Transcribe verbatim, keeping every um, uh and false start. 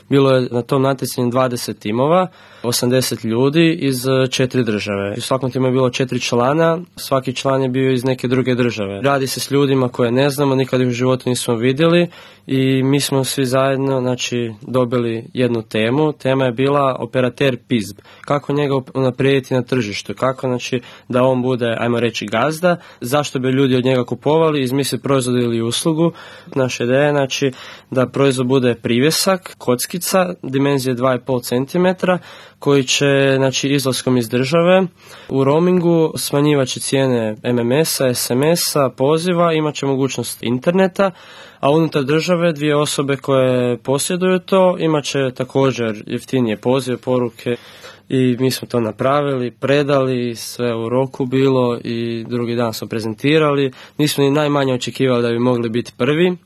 Bilo je na tom natjecanju dvadeset timova, osamdeset ljudi iz četiri države. U svakom timu je bilo četiri člana, svaki član je bio iz neke druge države. Radi se s ljudima koje ne znamo, nikad ih u životu nismo vidjeli i mi smo svi zajedno znači, dobili jednu temu. Tema je bila operater P I Z B. Kako njega unaprijediti na tržištu, kako znači, da on bude, ajmo reći, gazda, zašto bi ljudi od njega kupovali, izmisliti proizvod ili uslugu. Naša ideja je znači, da proizvod bude privjesak, kockica, dimenzije dva i pol centimetra, koji će znači, izlaskom iz države u roamingu smanjivat će cijene M M S-a, S M S-a, poziva, imat će mogućnost interneta, a unutar države dvije osobe koje posjeduju to imat će također jeftinije pozive, poruke i mi smo to napravili, predali, sve u roku bilo i drugi dan smo prezentirali. Nismo ni najmanje očekivali da bi mogli biti prvi.